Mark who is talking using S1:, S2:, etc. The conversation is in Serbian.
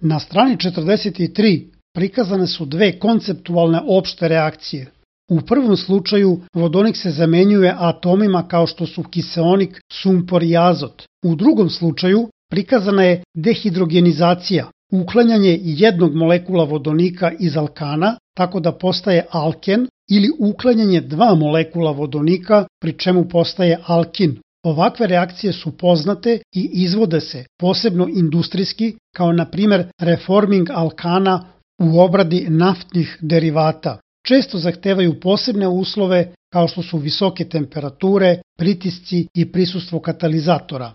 S1: Na strani 43 prikazane su dve konceptualne opšte reakcije. U prvom slučaju vodonik se zamenjuje atomima kao što su kiseonik, sumpor i azot. U drugom slučaju prikazana je dehidrogenizacija, uklanjanje jednog molekula vodonika iz alkana tako da postaje alken ili uklanjanje dva molekula vodonika pri čemu postaje alkin. Ovakve reakcije su poznate i izvode se posebno industrijski, kao na primjer reforming alkana u obradi naftnih derivata. Često zahtevaju posebne uslove kao što su visoke temperature, pritisci i prisustvo katalizatora.